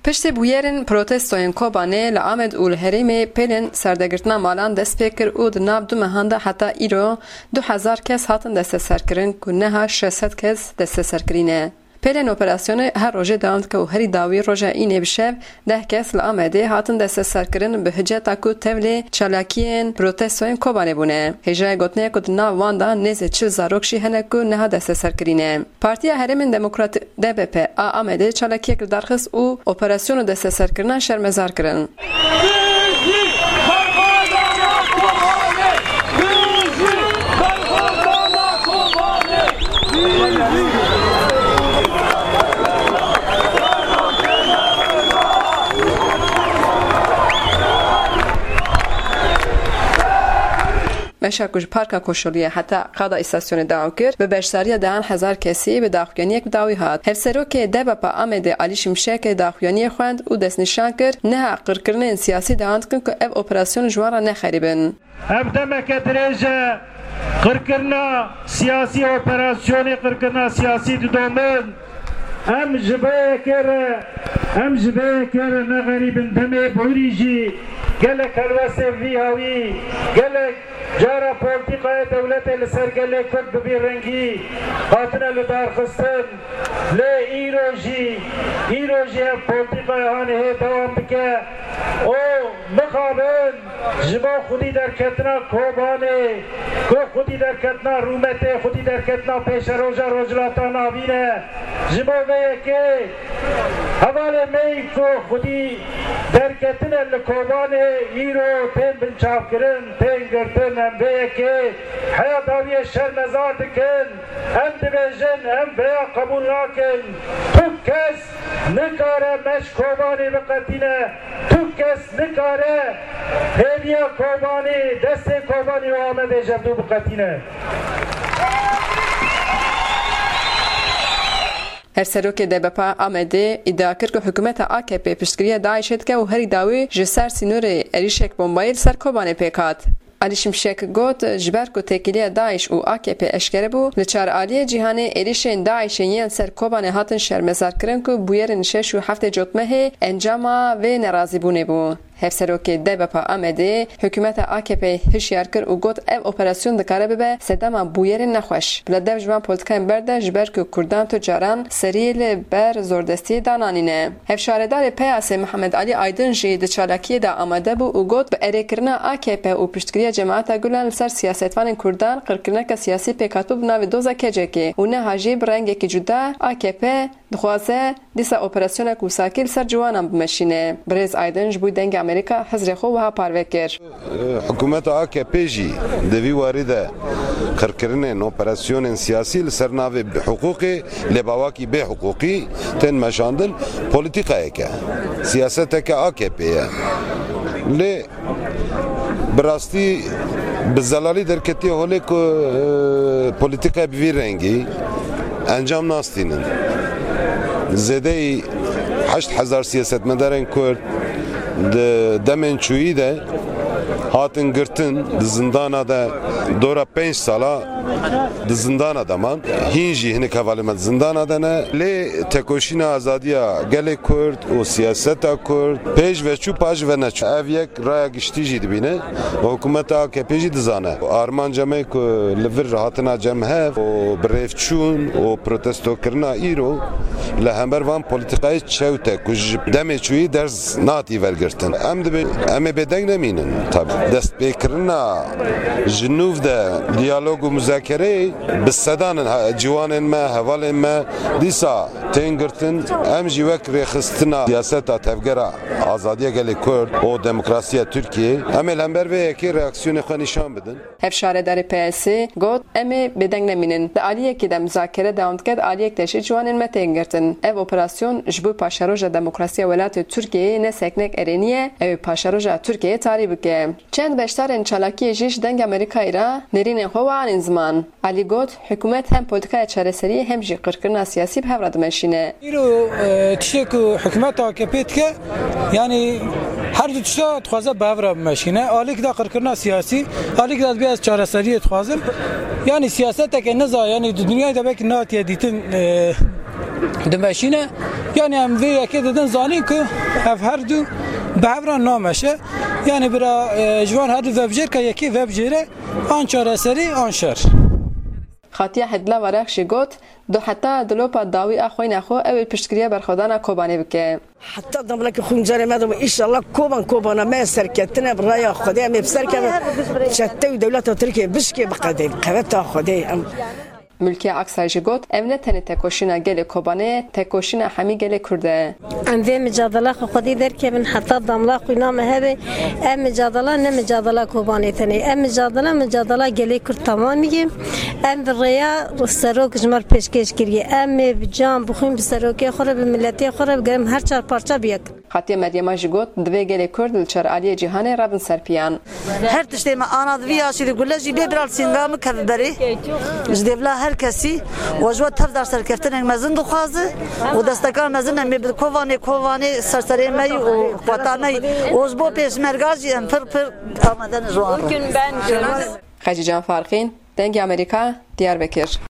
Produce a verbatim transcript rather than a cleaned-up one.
Piştî bûyerên protestoyên Kobanê li Amed û li herêmê pêlên serdegirtina malan dest pê kir û di nav du mehan de heta îro du hezar kes hatin desteserkirin ku niha şeş sed kes desteserkirî ne. Pêlên operasyonê her rojê dewam dike û herî dawî roja Înê bi şev deh kes li Amedê hatin desteserkirin bi hiceta ku tevlî çalakiyên protestoyên Kobanê bûne. Hêjayê gotinê ye ku di nav wan de nêzê çil zarok jî hene ku niha desteserkirî ne. Partiya Herêmên Demokratîk D B P a Amedê çalakiyek li dar xist û operasyon û desteserkirina şermezar kirin. Meşa ku ji Parka Koşuliyê heta qada îstasyonê dewam kir, bi beşdariya dehan hezar kesî bi daxuyaniyek bi dawî hat. Hevserokê D B P a Amedê Alî Şimşek daxuyaniyê xwend û destnîşan kir, niha qirkirinên siyasî dewam dikin ku ev operasyon ji wan re ne xerîb in. Ev demeke dirêj e, qirkirina siyasî, operasyonê qirkirina siyasî didomin. Em ji vê yekê re, em ji vê yekê re ne xerîb in. Demê borî jî gelek helwestên vî hawî, gelek cara polîtîkaya dewletê li ser gelê Kurd bi vî rengî hatine lidarxistin. Lê îro jî, îro jî ev polîtîkaya hanê hê dewam dike û mixabin ji bo xwedî derketina Kobanê, ku xwedî derketina rûmetê, xwedî derketina pêşeroja Rojhilata Navîn e. Ji bo vê yekê hevalê me yî ku xwedî derketine li Kobanê îro tên binçavkirin, tên girtin. Em vê yekê heya dawiyê şermezar dikin. Em dibêjin, em vêya qebûl nakin. Tu kes nikare me ji Kobanê biqetîne. Tu kes nikare hêviya Kobanê, destê Kobanê û Amedê ji hevdû biqetîne. Hevserokê D B P Amedê îdia kir ku hikûmeta A K P piştgiriya DAIŞê dike û herî dawî ji ser sînorê êrîşek bombayî li ser Kobanê pêk hat. Alî Şimşek got, ji ber ku têkiliya DAIŞ û A K P eşkere bû, li çar aliyê cîhanê êrîşên DAIŞê yên ser Kobanê hatin şermezarkirin ku bûyerên şeş û heftê Cotmehê encama vê nerazîbûnê bû. Hevserokê D B P Amedê hikûmeta A K P hişyar kir û got, ev operasyon dikare bibe sedema bûyerên nexweş. Bila dev ji van polîtîkayên berde, ji ber ku Kurdan tu caran seriyê li ber zordestiyê dananîne. Hevşaredarê P Y S'ê Mihemed Alî Aydin jî di çalakiyê de amade bû û got, bi erêkirina A K P û piştgiriya Cemaeta Gulen li ser siyasetvanên Kurdan qirkirineke siyasî pêk hatibû bi navê doza K C K û niha jî bi rengekî cuda A K P dixwaze dîsa operasyonek wisakî li ser ciwanan bimeşîne. Birêz Aydin ji bo Dengê Amerîka hizrê xwe wiha parve kir. Hikûmeta A K P jî di vî warî de qirkirinên operasyonên siyasî li ser navê hiqûqê, lê bi awakî bê hiqûqî tên meşandin, polîtîkayeke, siyaseteke A K P ye. Lê bi rastî bi zelalî derketiye holê ku, e, polîtîkaya bi vî rengî encam nastînin. Zêdeyî heşt hezar siyasetmedarên Kurd di demên çûyî de hatin girtin, di zindana de dora pênc sala di zindana de man. Hîn jî hinek hevalên me di zindana de ne. Lê tekoşîna azadiya gelê Kurd û siyaseta Kurd pêş ve çû, paş ve neçû. Ev yek raya giştî jî dibîne. Hikûmeta A K P jî dizane. Armanca me ku li vir hatina cem hev û birêvçûn û protestokirina îro li hember van polîtîkayê çewt e ku ji demê çûyî ders natî vergirtin. Em dibê, em ê bêdeng nemînin. Tabi destpêkirina ji nûv de diyalog û muzakereyê bi sedan in ha-, ciwanên me, hevalên me dîsa tên girtin. Em jî wek rêxistina siyaseta tevgera azadiya gelê Kurd û demokrasiya Tirkiyê, em ê li hember vê yekê reaksiyonê xwe nîşan bidin. Hevşaredarê P Y S'ê got, em ê bêdeng nemînin. Di aliyekê de muzakere dewam dike, di aliyek de jî ciwanên me tên girtin. Ev operasyon ji bo paşeroja demokrasiya welatê Tirkiyeyê ne seknek erênî ye, ew ê paşeroja Tirkiyeyê tarî bike. Çend beşdarên çalakiyê jî ji Dengê Amerîkayê re nêrînên xwe we anîn ziman. Alî got, hikûmet hem polîtîkaya çareseriyê hem jî qirkirina siyasî bi hev re dimeşîne. Îro, e, tiştê ku hikûmeta A K P dike, yanî her du tişta dixwaze bi hev re bimeşîne. Alîk da qirkirina siyasî, alîk da dibê ez çareseriyê dixwazim. Yanî siyaseteke niza, yanî di dinyayê de belkî nehatiye dîtin, e, dimeşîne. Yanî em vê yekê didin zanîn ku ev her du bi hev re nameşe. Yanî bira, e, ji van her du vebijêr ke yekê vebijêre an çareserî an şer. Xatiya Hedla Varek jî got, du heta dilopa dawî a xwîna xwe ew ê piştgiriya berxwedana Kobanê bike. Heta damlakê xwe carê me de înşallah Koban Kobana me serketine bi raya Xwedê em ê bi ser kevin çete û dewleta Tirkiyê bişkê biqedên qeweta Xwedê em. Mulkiye Aksay jî got, ev ne tenê tekoşîna gelê Kobanê ye, tekoşîna hemî gelê Kurd e. Em vê micadela xwe xwedî derkevin heta damla xwîna me hebe. Ev micadela ne micadela Kobanê tenê. Ev micadela, micadela gelê Kurd temamî ye. Em bi rêya serok ji me re pêşkêş kiriye. Em ê bi can, bi xwîn, bi serokê xwe re, bi miletê xwe re, bi gerim her çar parça bi yek. Xatiye Meryema jî got, divê gelê Kurd li çar aliyê cîhanê revin ser piyan. Her tiştê me ana di vî yaşî de gule jî bê bira li sînga min keve berê. Ji dêvla her kesî û ji we tev dar serkeftinek mezin dixwaze û desteka mezin em ê bi Kovanê, Kovanê serserê me yî û xweta me yî û ji bo pêşmerga jî em pir pir amade ne ji wan re. Xecî Can Farqîn, Dengê Amerîka, Diyarbekir.